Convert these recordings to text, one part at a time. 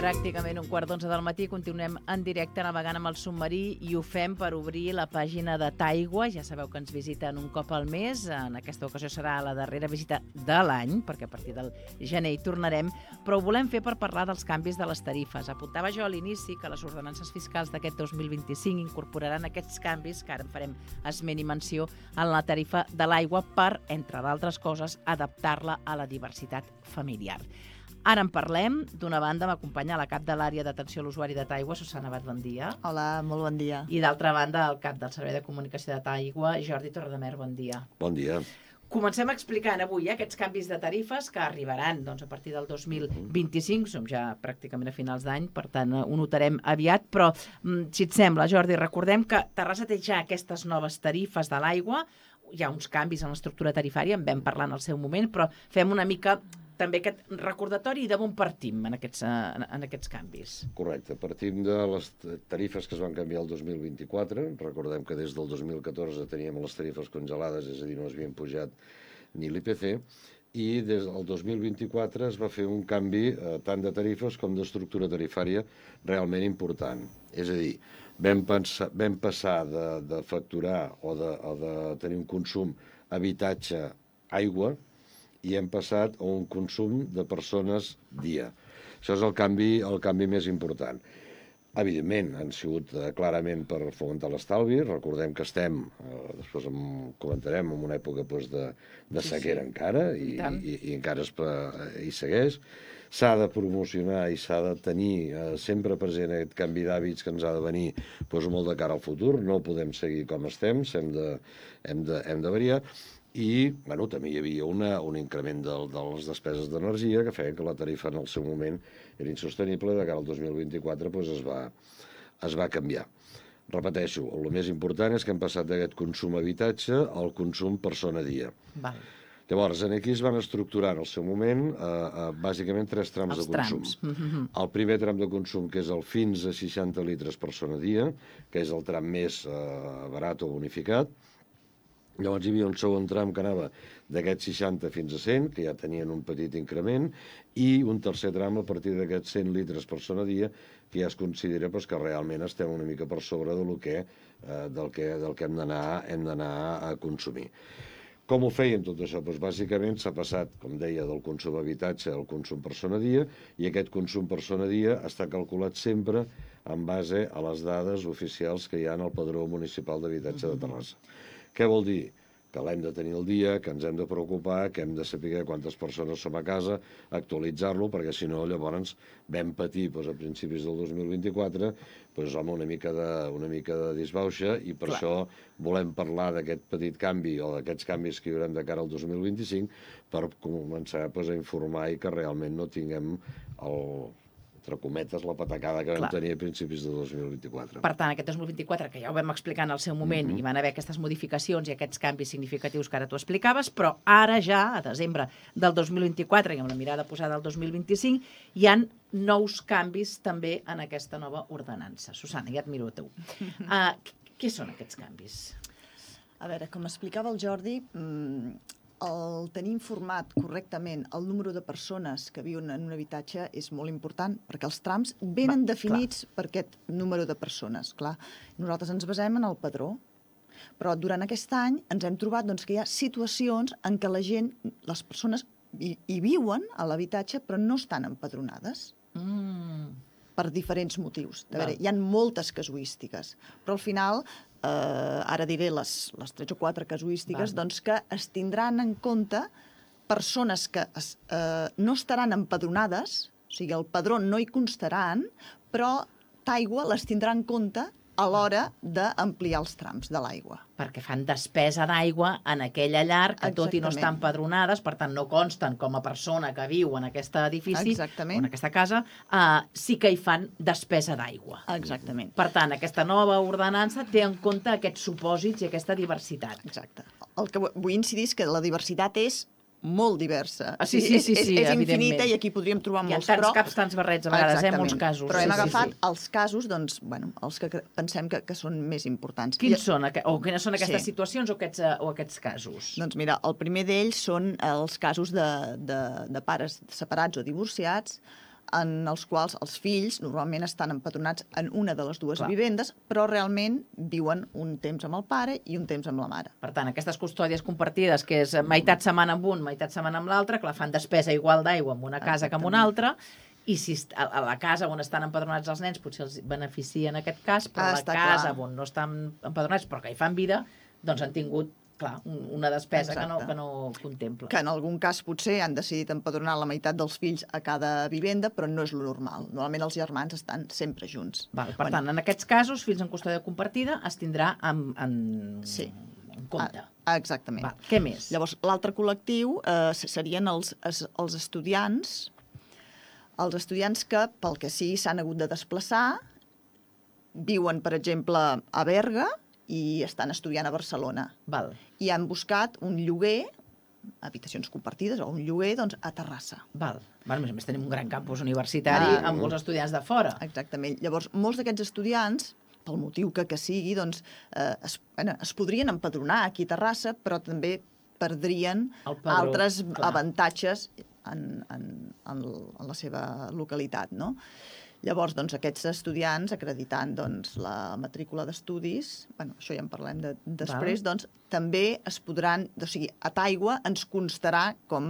Pràcticament 1:15 del matí, continuem en directe navegant amb el submarí i ho fem per obrir la pàgina de Taigua. Ja sabeu que ens visiten un cop al mes. En aquesta ocasió serà la darrera visita de l'any, perquè a partir del gener hi tornarem, però ho volem fer per parlar dels canvis de les tarifes. Apuntava jo a l'inici que les ordenances fiscals d'aquest 2025 incorporaran aquests canvis, que ara en farem esment i menció, en la tarifa de l'aigua per, entre d'altres coses, adaptar-la a la diversitat familiar. Ara en parlem. D'una banda m'acompanya la cap de l'àrea d'atenció a l'usuari de Taigua, Susana Abad, bon dia. Hola, molt bon dia. I d'altra banda, el cap del Servei de Comunicació de Taigua, Jordi Torredemer, bon dia. Bon dia. Comencem explicant avui aquests canvis de tarifes que arribaran a partir del 2025, som ja pràcticament a finals d'any, per tant ho notarem aviat, però si et sembla, Jordi, recordem que Terrassa té ja aquestes noves tarifes de l'aigua, hi ha uns canvis en l'estructura tarifària, en vam parlar en el seu moment, però fem una mica també aquest recordatori i d'on partim en aquests canvis. Correcte. Partim de les tarifes que es van canviar el 2024. Recordem que des del 2014 teníem les tarifes congelades, és a dir, no es havien pujat ni l'IPC, i des del 2024 es va fer un canvi tant de tarifes com d'estructura tarifària realment important. És a dir, vam passar de facturar o de tenir un consum habitatge-aigua i hem passat a un consum de persones dia. Això és el canvi més important. Evidentment, han sigut clarament per fomentar l'estalvi. Recordem que estem, després comentarem, en una època de sequera encara, i encara hi segueix. S'ha de promocionar i s'ha de tenir sempre present aquest canvi d'hàbits que ens ha de venir molt de cara al futur. No podem seguir com estem, hem de variar. I també hi havia un increment de les despeses d'energia que feia que la tarifa en el seu moment era insostenible. De cara al 2024 es va canviar. Repeteixo, el més important és que hem passat d'aquest consum habitatge al consum persona dia. Val. Llavors, aquí es van estructurar en el seu moment bàsicament 3 trams de consum. El primer tram de consum, que és el fins a 60 litres persona dia, que és el tram més barat o bonificat. Llavors hi havia un segon tram que anava d'aquests 60 fins a 100, que ja tenien un petit increment, i un tercer tram a partir d'aquests 100 litres persona dia, que ja es considera que realment estem una mica per sobre del que hem d'anar a consumir. Com ho feien tot això? Bàsicament s'ha passat, com deia, del consum habitatge al consum persona dia, i aquest consum persona dia està calculat sempre en base a les dades oficials que hi ha en el Padró Municipal d'Habitatge de Terrassa. Què vol dir? Que l'hem de tenir al dia, que ens hem de preocupar, que hem de saber quantes persones som a casa, actualitzar-lo, perquè si no llavors vam patir a principis del 2024 una mica de disbauxa, i per això volem parlar d'aquest petit canvi o d'aquests canvis que hi haurem de cara al 2025 per començar a informar i que realment no tinguem entre cometes, la patacada que vam tenir a principis de 2024. Per tant, aquest 2024, que ja ho vam explicar en el seu moment, hi van haver aquestes modificacions i aquests canvis significatius que ara tu explicaves, però ara ja, a desembre del 2024, i amb la mirada posada al 2025, hi han nous canvis també en aquesta nova ordenança. Susana, ja et miro a tu. Què són aquests canvis? A veure, com explicava el Jordi, el tenir informat correctament el número de persones que viuen en un habitatge és molt important, perquè els trams venen definits per aquest número de persones. Clar, nosaltres ens basem en el padró, però durant aquest any ens hem trobat que hi ha situacions en què les persones hi viuen a l'habitatge però no estan empadronades per diferents motius. A veure, hi ha moltes casuístiques, però al final ara diré les 3 o 4 casuístiques, que es tindran en compte persones que no estaran empadronades, o sigui, el padró no hi constaran, però Taigua les tindrà en compte a l'hora d'ampliar els trams de l'aigua. Perquè fan despesa d'aigua en aquella llar que tot i no estan empadronades, per tant no consten com a persona que viu en aquest edifici o en aquesta casa, sí que hi fan despesa d'aigua. Exactament. Per tant, aquesta nova ordenança té en compte aquests supòsits i aquesta diversitat. Exacte. El que vull incidir és que la diversitat és molt diversa. Sí, és infinita i aquí podríem trobar molts. Hi ha tants caps, tants barrets, a vegades, molts casos. Però hem agafat els casos, els que pensem que són més importants. Quines són aquestes situacions o aquests casos? Doncs mira, el primer d'ells són els casos de pares separats o divorciats, en els quals els fills normalment estan empadronats en una de les dues vivendes, però realment viuen un temps amb el pare i un temps amb la mare. Per tant, aquestes custòdies compartides, que és meitat setmana amb un, meitat setmana amb l'altre, clar, fan despesa igual d'aigua en una casa que en una altra, i si a la casa on estan empadronats els nens potser els beneficia en aquest cas, però a la casa on no estan empadronats però que hi fan vida, doncs han tingut clar, una despesa que no contempla. Que en algun cas potser han decidit empadronar la meitat dels fills a cada vivenda, però no és lo normal. Normalment els germans estan sempre junts. Per tant, en aquests casos, fills en custòdia compartida es tindrà en compte. Exactament. Què més? Llavors, l'altre col·lectiu serien els estudiants, que, pel que sigui, s'han hagut de desplaçar, viuen, per exemple, a Berga, i estan estudiant a Barcelona. I han buscat un lloguer, habitacions compartides, o un lloguer, doncs, a Terrassa. A més tenim un gran campus universitari amb molts estudiants de fora. Exactament. Llavors, molts d'aquests estudiants, pel motiu que sigui, doncs, es podrien empadronar aquí a Terrassa, però també perdrien altres avantatges en la seva localitat, no? Llavors, doncs, aquests estudiants, acreditant doncs, la matrícula d'estudis, això ja en parlem després, doncs, també es podran, o sigui, a Taigua ens constarà com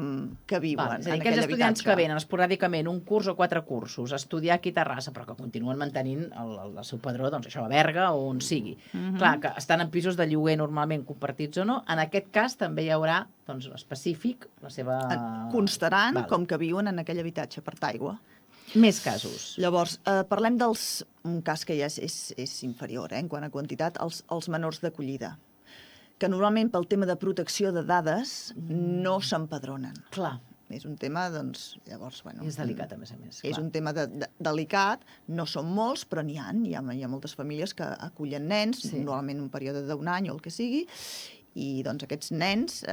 que viuen en aquell habitatge. Aquells estudiants que venen esporàdicament un curs o 4 cursos a estudiar aquí a Terrassa, però que continuen mantenint el seu padró, doncs això, a Berga o on sigui. Clar, que estan en pisos de lloguer normalment compartits o no, en aquest cas també hi haurà, doncs, específic, la seva... Constaran com que viuen en aquell habitatge per Taigua. Més casos. Llavors, parlem un cas que ja és inferior, en quant a quantitat, els menors d'acollida, que normalment pel tema de protecció de dades no s'empadronen. Clar. És un tema, doncs, llavors, bueno... És delicat, a més a més. És un tema delicat, no són molts, però n'hi ha moltes famílies que acullen nens, normalment un període d'un any o el que sigui, i doncs aquests nens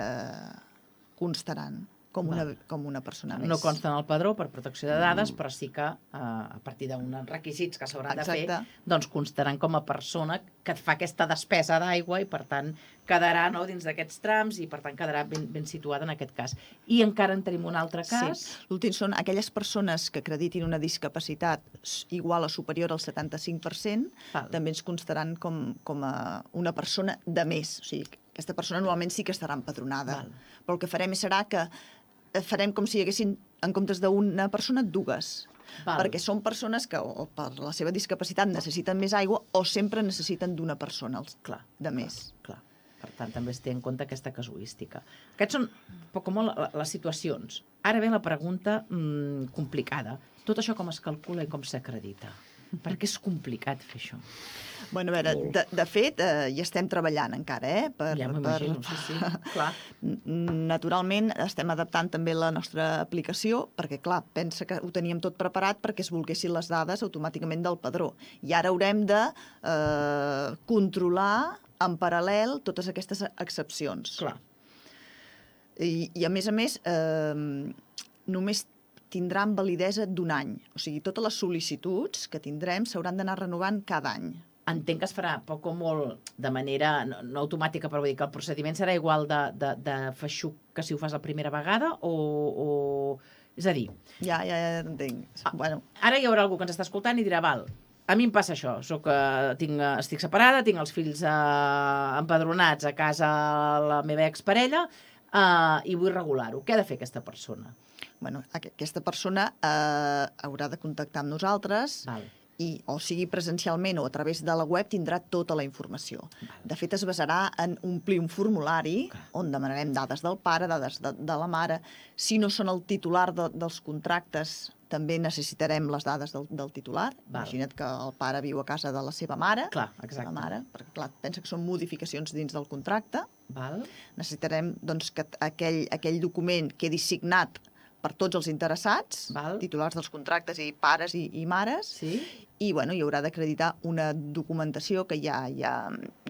constaran com una persona més. No consten al padró per protecció de dades, però sí que a partir d'uns requisits que s'hauran de fer, doncs constaran com a persona que fa aquesta despesa d'aigua i, per tant, quedarà dins d'aquests trams i, per tant, quedarà ben situada en aquest cas. I encara en tenim un altre cas. Sí. L'últim són aquelles persones que acreditin una discapacitat igual o superior al 75%, també ens constaran com a una persona de més. O sigui, aquesta persona normalment sí que estarà empadronada. Però el que farem serà que farem com si hi haguessin, en comptes d'una persona, dues. Perquè són persones que o per la seva discapacitat necessiten més aigua o sempre necessiten d'una persona de més. Clar. Per tant, també es té en compte aquesta casuística. Aquests són poc o molt les situacions. Ara ve la pregunta complicada. Tot això com es calcula i com s'acredita? Perquè és complicat fer això. Bueno, a veure, de fet, hi estem treballant encara, Ja m'imagino, sí, clar. Naturalment, estem adaptant també la nostra aplicació, perquè, clar, pensa que ho teníem tot preparat perquè es volguessin les dades automàticament del padró. I ara haurem de controlar en paral·lel totes aquestes excepcions. Clar. I a més, només tindran validesa d'un any. O sigui, totes les sol·licituds que tindrem s'hauran d'anar renovant cada any. Entenc que es farà poc o molt de manera no automàtica, però vull dir que el procediment serà igual de feixuc que si ho fas la primera vegada o... És a dir... Ja entenc. Bueno. Ara hi haurà algú que ens està escoltant i dirà, val, a mi em passa això, estic separada, tinc els fills empadronats a casa la meva exparella i vull regular-ho. Què ha de fer aquesta persona? Bueno, aquesta persona haurà de contactar amb nosaltres o sigui presencialment o a través de la web tindrà tota la informació. De fet, es basarà en omplir un formulari on demanarem dades del pare, dades de la mare. Si no són el titular dels contractes, també necessitarem les dades del titular. Imagina't que el pare viu a casa de la seva mare. Clar, exacte. Perquè, clar, pensa que són modificacions dins del contracte. Necessitarem que aquell document quedi signat per tots els interessats, titulars dels contractes i pares i mares, i hi haurà d'acreditar una documentació que ja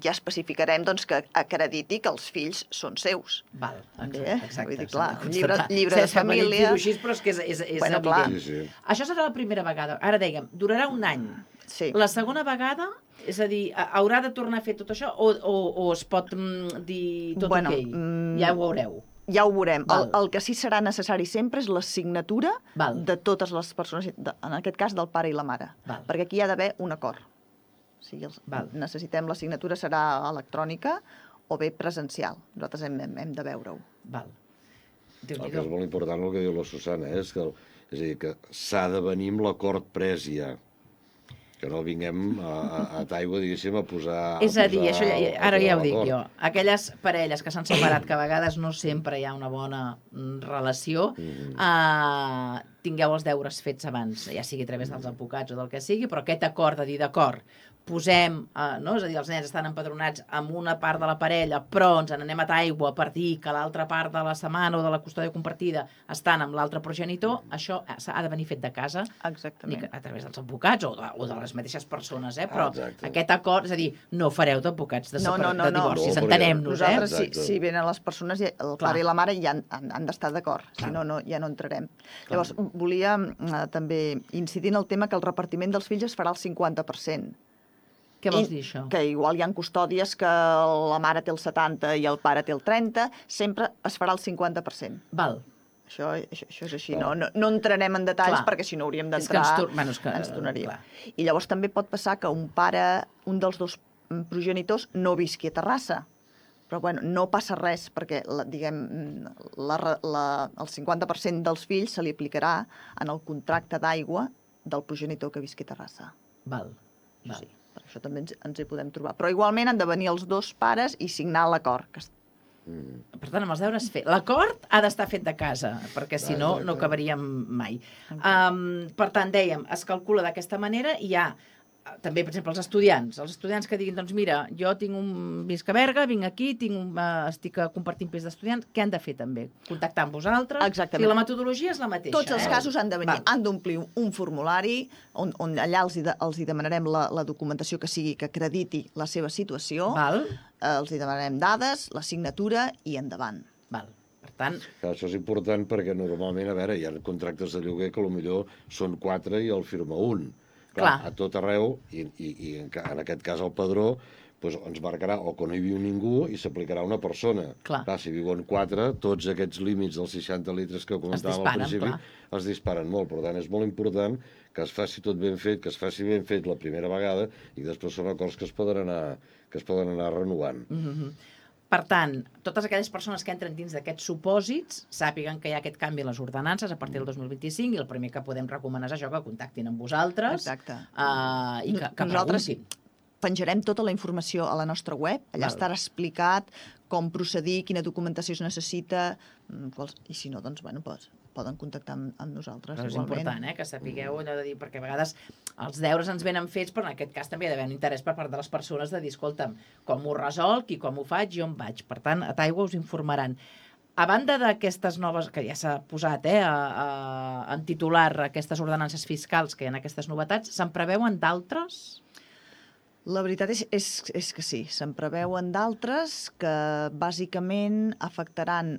especificarem que acrediti que els fills són seus. Exacte. Llibre de família... Però és que és evident. Això serà la primera vegada. Ara dèiem, durarà un any. La segona vegada, és a dir, haurà de tornar a fer tot això o es pot dir tot ok? Ja ho veureu. Ja ho veurem. El que sí serà necessari sempre és la signatura de totes les persones, en aquest cas del pare i la mare, perquè aquí hi ha d'haver un acord. O sigui, necessitem la signatura, serà electrònica o bé presencial. Nosaltres hem de veure-ho. El que és molt important, el que diu la Susana, és a dir, que s'ha de venir amb l'acord pres ja. Que no vinguem a Taigua, diguéssim, a posar... És a dir, això ara ja ho dic jo, aquelles parelles que s'han separat, que a vegades no sempre hi ha una bona relació, tingueu els deures fets abans, ja sigui a través dels advocats o del que sigui, però aquest acord de dir d'acord, posem, no? És a dir, els nens estan empadronats amb una part de la parella, però ens n'anem a Taigua per dir que l'altra part de la setmana o de la custòdia compartida estan amb l'altre progenitor, això ha de venir fet de casa, a través dels advocats o de les mateixes persones, però aquest acord, és a dir, no fareu d'advocats de divorcis, entenem-nos. Nosaltres, si venen les persones, el pare i la mare ja han d'estar d'acord, si no, ja no entrarem. Llavors, volia també incidir en el tema que el repartiment dels fills es farà al 50%. Què vols dir, això? Que igual hi ha custòdies que la mare té el 70 i el pare té el 30, sempre es farà el 50%. Val. Això és així, no entrarem en detalls perquè si no hauríem d'entrar, ens donaria. I llavors també pot passar que un dels dos progenitors no visqui a Terrassa. Però bueno, no passa res perquè, diguem, el 50% dels fills se li aplicarà en el contracte d'aigua del progenitor que visqui a Terrassa. Val. Sí. Per això també ens hi podem trobar. Però igualment han de venir els dos pares i signar l'acord. Per tant, amb els deures fer. L'acord ha d'estar fet de casa, perquè si no, no acabaríem mai. Per tant, dèiem, es calcula d'aquesta manera i hi ha també, per exemple, els estudiants que diguin, doncs mira, jo visc a Berga, vinc aquí, estic compartint pis d'estudiants, què han de fer també? Contactar amb vosaltres? Exactament. I la metodologia és la mateixa. Tots els casos han de venir, han d'omplir un formulari on allà els hi demanarem la documentació que sigui que acrediti la seva situació, els hi demanarem dades, la signatura i endavant. Per tant... Això és important perquè normalment, a veure, hi ha contractes de lloguer que potser són 4 i el firma un. Clar, a tot arreu, i en aquest cas el padró, ens marcarà o que no hi viu ningú i s'aplicarà una persona. Clar, si viuen 4, tots aquests límits dels 60 litres que comentàvem al principi es disparen molt. Per tant, és molt important que es faci tot ben fet, que es faci ben fet la primera vegada i després són acords que es poden anar renovant. Per tant, totes aquelles persones que entren dins d'aquests supòsits sàpiguen que hi ha aquest canvi a les ordenances a partir del 2025 i el primer que podem recomanar és això, que contactin amb vosaltres i que preguntin. Penjarem tota la informació a la nostra web, allà estarà explicat com procedir, quina documentació es necessita, i si no, doncs, poden contactar amb nosaltres. Però és important, que sapigueu allò de dir, perquè a vegades els deures ens venen fets, però en aquest cas també hi ha d'haver un interès per part de les persones de dir, escolta'm, com ho resolc i com ho faig i on vaig. Per tant, a Taigua us informaran. A banda d'aquestes noves, que ja s'ha posat en titular aquestes ordenances fiscals, que hi ha aquestes novetats, se'n preveuen d'altres? La veritat és que sí, se'n preveuen d'altres que bàsicament afectaran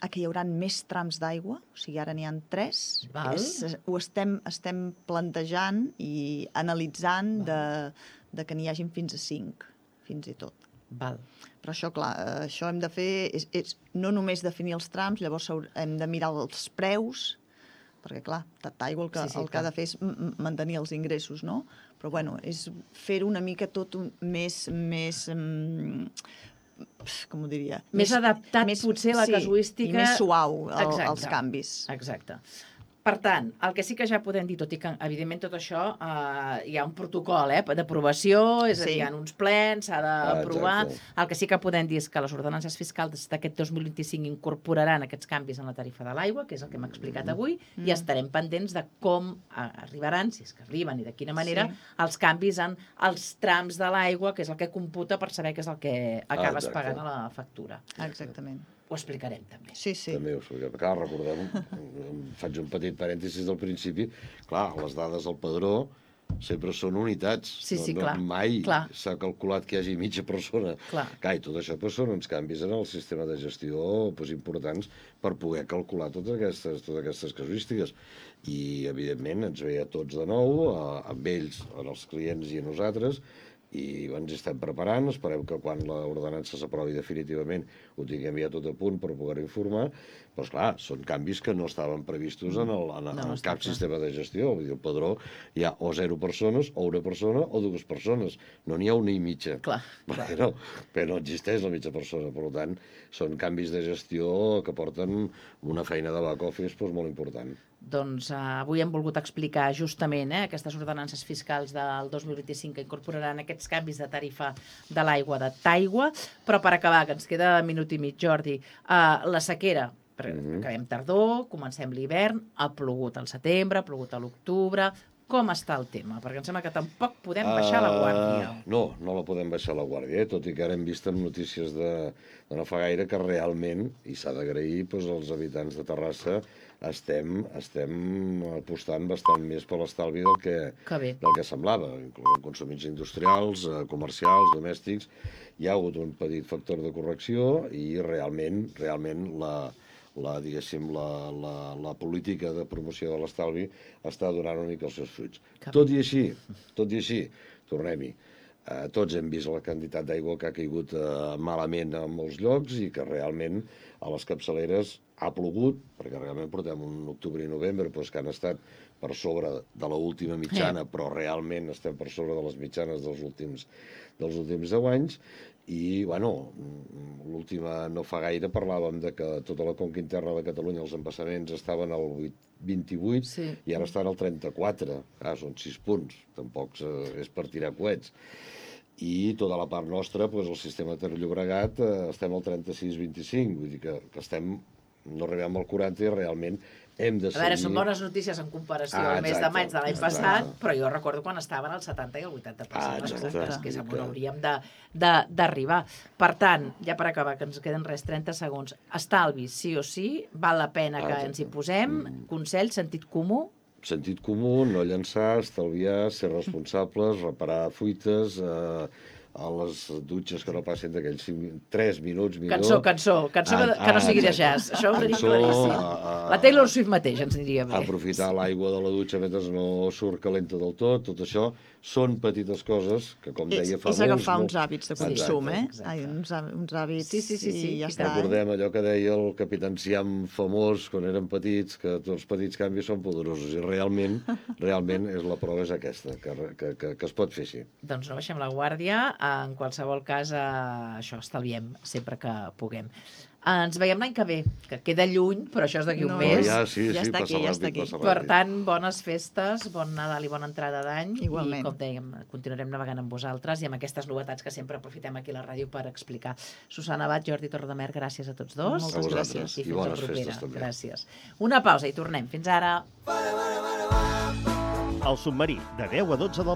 que hi haurà més trams d'aigua, o sigui, ara n'hi ha 3. Ho estem plantejant i analitzant de que n'hi hagin fins a 5, fins i tot. Però això, clar, això hem de fer, és no només definir els trams, llavors hem de mirar els preus, perquè, clar, Taigua el que ha de fer és mantenir els ingressos, no? Però, bueno, és fer una mica tot més com ho diria? Més adaptat, potser, a la casuística. I més suau als canvis. Exacte. Per tant, el que sí que ja podem dir, tot i que, evidentment, tot això hi ha un protocol d'aprovació, és a dir, hi ha uns plens, s'ha d'aprovar. El que sí que podem dir és que les ordenances fiscals d'aquest 2025 incorporaran aquests canvis en la tarifa de l'aigua, que és el que hem explicat avui, i estarem pendents de com arribaran, si és que arriben i de quina manera, els canvis en els trams de l'aigua, que és el que computa per saber què és el que acabes pagant a la factura. Exactament. Ho explicarem, també. Sí. També ho explicarem. Clar, recordem, faig un petit parèntesis del principi, clar, les dades del padró sempre són unitats. Clar. Mai s'ha calculat que hi hagi mitja persona. Clar, i tot això són uns canvis en el sistema de gestió importants per poder calcular totes aquestes casuístiques. I, evidentment, ens ve a tots de nou, amb ells, els clients i a nosaltres, i ens estem preparant, esperem que quan l'ordenança s'aprovi definitivament ho tinguem ja tot a punt per poder informar, però esclar, són canvis que no estaven previstos en cap sistema de gestió. Vull dir, el padró hi ha o 0 persones, o 1 persona, o 2 persones. No n'hi ha una i mitja. Clar. Però no existeix la mitja persona. Per tant, són canvis de gestió que porten una feina de back-office molt important. Doncs avui hem volgut explicar justament aquestes ordenances fiscals del 2025 que incorporaran aquests canvis de tarifa de l'aigua de Taigua, però per acabar, que ens queda minut i mig, Jordi, la sequera, acabem tardor, comencem l'hivern, ha plogut al setembre, ha plogut a l'octubre. Com està el tema? Perquè em sembla que tampoc podem baixar la guàrdia. No la podem baixar la guàrdia, tot i que ara hem vist en notícies de no fa gaire que realment, i s'ha d'agrair, els habitants de Terrassa estem apostant bastant més per l'estalvi del que semblava. Inclús en consumits industrials, comercials, domèstics, hi ha hagut un petit factor de correcció i realment la política de promoció de l'estalvi està donant una mica els seus fruits. Tot i així, tornem-hi. Tots hem vist la quantitat d'aigua que ha caigut malament en molts llocs i que realment a les capçaleres ha plogut, perquè realment portem un octubre i novembre que han estat per sobre de l'última mitjana, però realment estem per sobre de les mitjanes dels últims 10 anys. I, l'última no fa gaire parlàvem de que tota la conca interna de Catalunya, els embassaments estaven al 28 i ara estan al 34. Són 6 punts, tampoc és per tirar coets. I tota la part nostra, el sistema Ter-Llobregat, estem al 36-25, vull dir que no arribem al 40 i realment hem de seguir... A veure, són bones notícies en comparació al mes de maig de l'any passat, però jo recordo quan estaven al 70 i el 80%. Que és on hauríem d'arribar. Per tant, ja per acabar, que ens queden 30 segons, estalvi, sí o sí, val la pena que ens hi posem, consell, sentit comú? Sentit comú, no llançar, estalviar, ser responsables, reparar fuites, a les dutxes que no passin d'aquells 3 minuts millor. Cançó que no sigui de jazz. Això ho tenim claríssim. La Taylor Swift mateix ens aniria bé. Aprofitar l'aigua de la dutxa mentre no surt calenta del tot això són petites coses que, com deia fa És agafar uns hàbits de consum, uns hàbits i ja està. Recordem allò que deia el capità Enciam famós quan érem petits, que tots els petits canvis són poderosos, i realment la prova és aquesta, que es pot fer així. Doncs no baixem la guàrdia, en qualsevol cas això, estalviem sempre que puguem. Ens veiem l'any que ve, que queda lluny, però això és d'aquí un mes. Ja està aquí. Per tant, bones festes, bon Nadal i bona entrada d'any. Igualment. I, com dèiem, continuarem navegant amb vosaltres i amb aquestes novetats que sempre aprofitem aquí a la ràdio per explicar. Susana Abad, Jordi Torredemer, gràcies a tots dos. Moltes gràcies. I fins la propera. Gràcies. Una pausa i tornem. Fins ara. El Submarí, de 10 a 12 del